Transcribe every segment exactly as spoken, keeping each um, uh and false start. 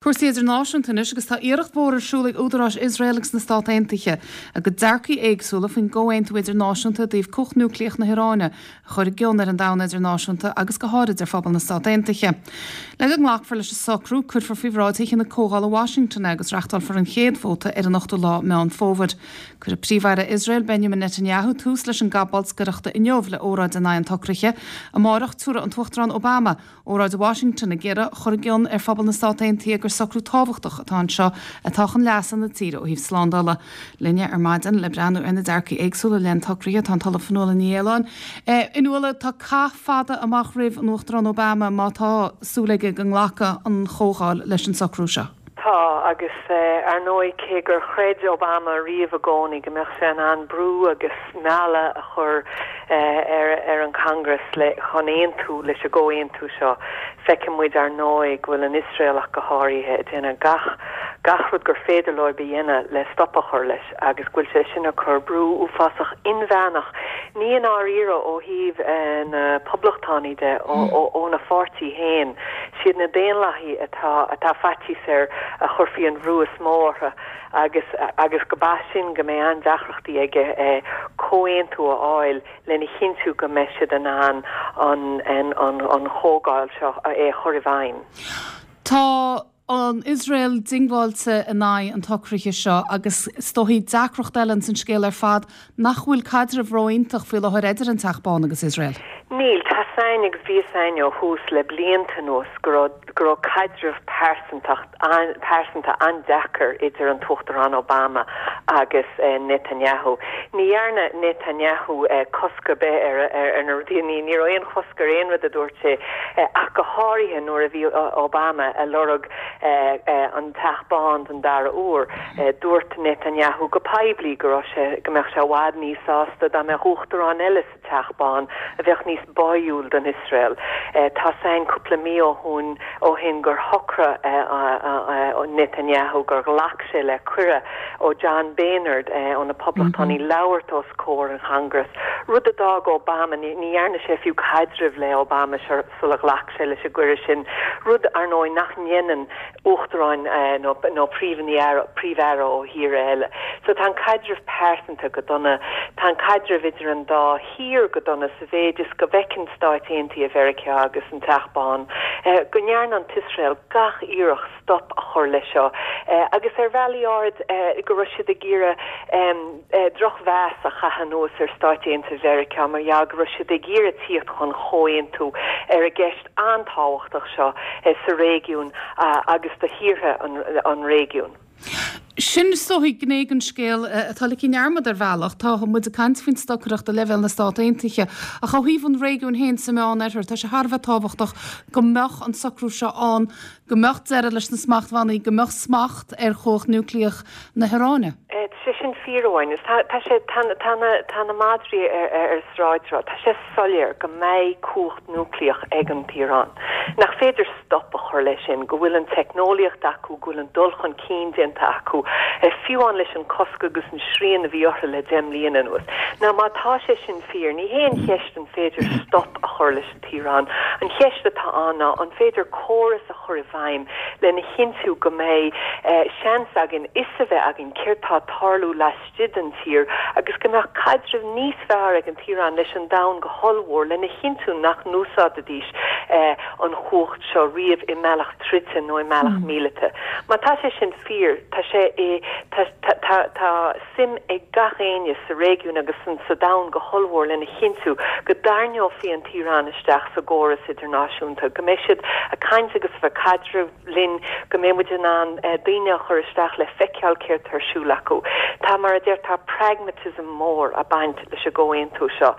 Cúrsaí idirnáisiúnta anois agus tá iarracht mhór ar siúl ag údaráis Iosrael agus na Stát Aontaithe a gcuid dearcaí éagsúla faoin gcomhaontú idirnáisiúnta i dtaobh cumhacht núicléach na hIaráine a chur i gcion ar an domhan idirnáisiúnta agus go háirid ar phobal na Stát Aontaithe. Le go nglacfar leis an socrú, cuirfear faoi bhráid Thithe na Comhdhála Washington é agus reáchtálfar an chéad vóta ar an ochtú lá Meán Fómhair. Cuirfidh Príomh-Aire Iosrael Benjamin Netanyahu tús leis an gcath bolscaireachta inniu le óráid in aghaidh an tsocraithe. Amárach tabharfaidh an tUachtarán Obama óráid Washington ag iarraidh chur i gcion ar phobal na Stát Aontaithe gur socrú tábhachtach atá anseo atá chun leasa na tíre ó thaobh slándála. Linne ar maidin le breathnú ar na dearcaí éagsúla leis an tsocrú tá an tOllamh Fionnuala Ní Aoláin. A Fhionnuala tá cath fada amach roimh an Uachtarán Obama má tá súil aige go nglacfaidh an chomhdháil leis an socrú seo. Tá agus ar ndóigh cé gur chreid Obama riamh i gcónaí go mbeadh sé in ann brú agus mealladh a chur ar ar an Congress le chun aontú leis an gcomhaontú seo. Feiceann muid ar ndóigh go bhfuil an Iosrael ach go háirithe ag déanamh gach gach rud gur féidir leo a dhéanamh le stop a chur leis agus go bhfuil sé sin ag cur brú uafásach inmheánach ní in áiríre ó thaobh na poblachtánaigh de óna pháirtí féin siad na daonlathaigh atá atá faitíos air a chuirfí an brú is mó orthu agus agus go b'fhéidir sin go mbeidh an-deacrachtaí aige eh, comhaontú a fháil lena chinntiú go mbeidh siad in ann an an an an chomhdháil seo é chur i bhfeidhm. Tá an Iosrael diongbháilte in aghaidh an tsocraithe seo agus is dóichí deacracht eile san scéal ar fad nach bhfuil caidreamh ró-iontach faoi láthair idir an Teach Bán agus Iosrael. Níl tá sein agus bhí sein ó thús le blianta anuas go raibh go raibh caidreamh pearsanta an-deacair idir an tUachtarán Obama agus eh, Netanyahu. Ní dhearna Netanyahu eh, cosc ar bith ar ar na rudaí ní ní aon chosc ar aon rud a dúirt sé eh, ach go háirithe nuair a bhí Obama ag lorg eh, eh, an Teach Bán den dara huair eh, dúirt Netanyahu go poiblí go raibh sé go mbeadh sé i bhfad níos sásta dá mbeadh uachtarán eile sa Teach Bán a bheadh níos báúil don Iosrael. Eh, tá sein cúpla mí ó shin ó shin gur shocraigh eh, Netanyahu gur ghlac sé le cuireadh ó John Boehner eh, ó na Poblachtánaigh mm -hmm. labhairt os comhair an Congress. Rud a d'fhág Obama ní dhearna sé fiú caidreamh le Obama sula ghlac sé leis an gcuireadh sin. Rud ar ndóigh nach ndéanann uachtaráin eh, nó nó príomh-aire príomh-aire ó thír eile. So tá an caidreamh pearsanta go dona tá an caidreamh idir an dá thír go dona sa mhéid is go bhfeiceann Stáit Aontaithe Mheiriceá agus an Teach Bán eh, go ndearna an tIosrael gach iarracht stop a chur leis seo eh, agus ar bhealaí áirid eh, go raibh siad ag iarraidh um, eh, drochmheas a chaitheamh anuas ar Stáit Aontaithe Mheiriceá mar ja go raibh siad ag iarraidh tíocht chun comhaontú ar an gceist an-tábhachtach seo eh, sa réigiún uh, agus do thíortha an, an réigiún. Sin is dóichí gné den scéal atá ligthe i ndearmad ar bhealach tá muid ag caint faoin stocaireacht ar leibhéal na Stát Aontaithe ach ó thaobh an réigiún féin sa Mheánoirthear tá sé thar a bheith tábhachtach go mbeadh an socrú seo ann go mbeadh deireadh leis na smachtbhannaí go mbeadh smacht ar chumhacht núicléach na hIaráine. sé sin fíor tá sé tá na madraí ar ar sráid tá sé soiléir go mbeidh cumhacht núicléach ag an Iaráin. Nach féidir stop a chur leis sin, go bhfuil an teicneolaíocht acu go bhfuil an dul chun cinn déanta acu fiú amháin leis an cosc agus an srian a bhí orthu le deich mbliana anuas. Ná má tá sé sin fíor, ní hé an cheist an féidir stop a chur leis an Iaráin. An cheist atá ann ná an féidir córas a chur i bhfeidhm lena chinntiú go mbeidh eh, seans againn is a bheith againn céard atá ag tarlú laistigh den tír agus go mbeadh caidreamh níos fearr ag an Iaráin leis an domhan go hollmhór lena chinntiú nach n-úsáidfidís eh, an chumhacht seo riamh i mbealach troda nó i mbealach mm. míleata. Má tá sé sin fíor tá sé é tá suim ag gach éinne sa réigiún agus san sa domhan go hollmhór lena chinntiú go dtarraingeofaí an Iaráin isteach sa gcóras idirnáisiúnta, go mbeidh siad ag caint agus bheith caidreamh linn go mbeidh muid in ann eh, daoine a chur isteach le feiceáil céard atá ar siúl acu. Tá mar a deir tá pragmatism mór ag baint leis an gcomhaontú seo.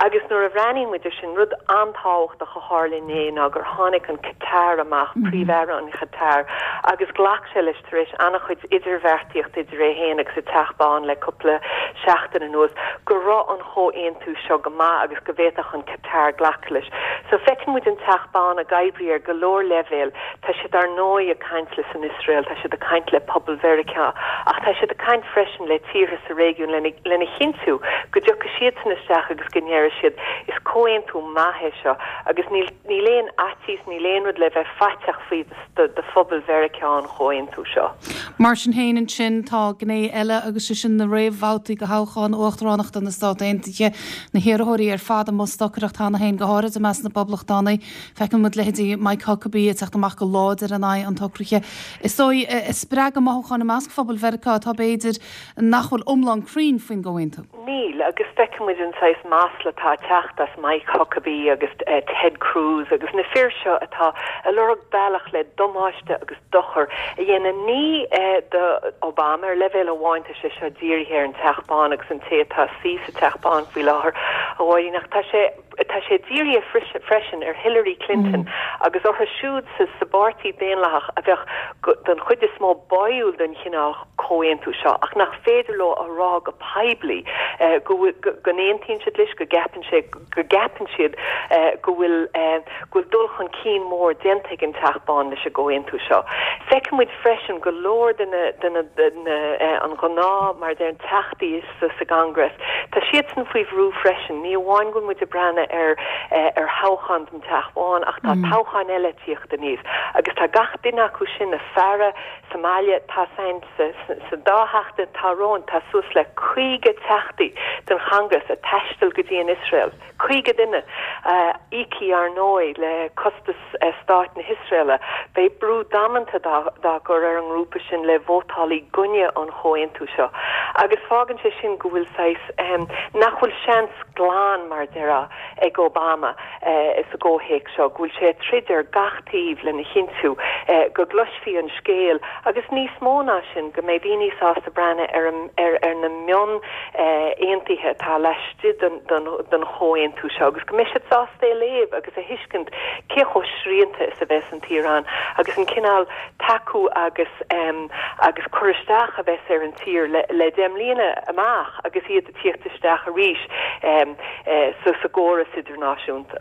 Agus nuair a bhreathnaíonn muid sin rud an-tábhachtach a tharla inné ná gur tháinig an Qatar amach mm -hmm. príomh-aire an Qatar agus ghlac sé leis tar éis an-chuid idirbheartaíocht idir é féin agus an Teach Bán le cúpla seachtain anuas go raibh an comhaontú seo go maith agus go bhféadfadh an Qatar glacadh leis. So feiceann muid an Teach Bán ag oibriú ar go leor leibhéal tá siad ar ndóigh ag caint leis an Iosrael, tá siad ag caint le pobal Mheiriceá, ach tá siad ag caint caint freisin le tíortha sa réigiún lena lena chinntiú go dtiocfaidh siadsan isteach agus go ndéarfaidh siad is comhaontú maith é seo agus níl níl aon fhaitíos, níl aon rud le bheith faiteach faoi do do phobal Mheiriceá an chomhaontú seo. Mar sin féin ansin tá gné eile agus sé sin na réamhbhabhtaí do thoghchán uachtaránachta na Stát Aontaithe, na hiarrthóirí ar fad i mbun stocaireacht cheana féin go háirid i measc na bPoblachtánaigh. Feiceann muid leithéidí Mike Huckabee ag teacht amach go láidir in aghaidh an tsocraithe. Is dóigh ag spreagadh mothúcháin i measc phobal Mheiriceá atá b'fhéidir nach bhfuil iomlán cruinn faoin gcomhaontú. Níl, agus feiceann muid an saghas masla atá ag teacht as Mike Huckabee agus eh, Ted Cruz agus na fir seo atá ag lorg bealach le damáiste agus dochar a dhéanamh ní eh, do Obama ar leibhéal amháin tá sé seo dírithe ar an Teach Bán agus an té atá suí sa Teach Bán faoi láthair a bháirín ach tá sé tá sé dírithe freisin ar Hillary Clinton mm. agus orthu siúd sa sa bpáirtí Daonlathach a bheadh den chuid is mó báúil don chineál comhaontú seo ach nach féidir leo a rá go poiblí eh, go go n-aontaíonn siad leis go gceapann sé go gceapann siad eh, go bhfuil eh, go bhfuil dul chun cinn mór déanta ag an Teach Bán leis an gcomhaontú seo. Feicimid freisin go leor de na de na na an gnáth mar der an teachtaí sa sa gCongress. Tá siadsan faoi bhrú freisin, ní amháin go muid ag breathnú ar ar thoghchán den Teach Bán ach tá mm. toghchán eile ag tíocht aníos. agus tá gach duine acu sin ag faire sa mbaile tá sein sa, sa, sa dá sheachtain atá romhainn tá suas le caoga teachtaí den Chongress ag taisteal go dtí an Iosrael. Caoga duine uh, íoctha ar ndóigh le costas uh, stát na hIosraela, Beidh brú damanta dá, dá gcur ar an ngrúpa sin le vótáil i gcoinne an chomhaontú seo. Agus fágann sé sin go bhfuil saghas um, nach bhfuil seans glan mar déarfá ag Obama uh, sa gcomhthéacs seo, go bhfuil sé troid ar gach taobh lena chinntiú uh, go gcloisfí an scéal agus níos mó ná sin go mbeidh daoine sásta breathnú ar, ar, ar na mion uh, aontuithe atá laistigh den, den, den chomhaontú seo agus go mbeidh siad sásta é léamh agus a thuiscint cé chomh srianta is a bheas an tIaráin agus an cineál tacú agus um, agus cur isteach a bheas ar an tír le, le deich mbliana amach agus iad ag tíocht isteach arís um, uh, so sa gcóras idirnáisiúnta.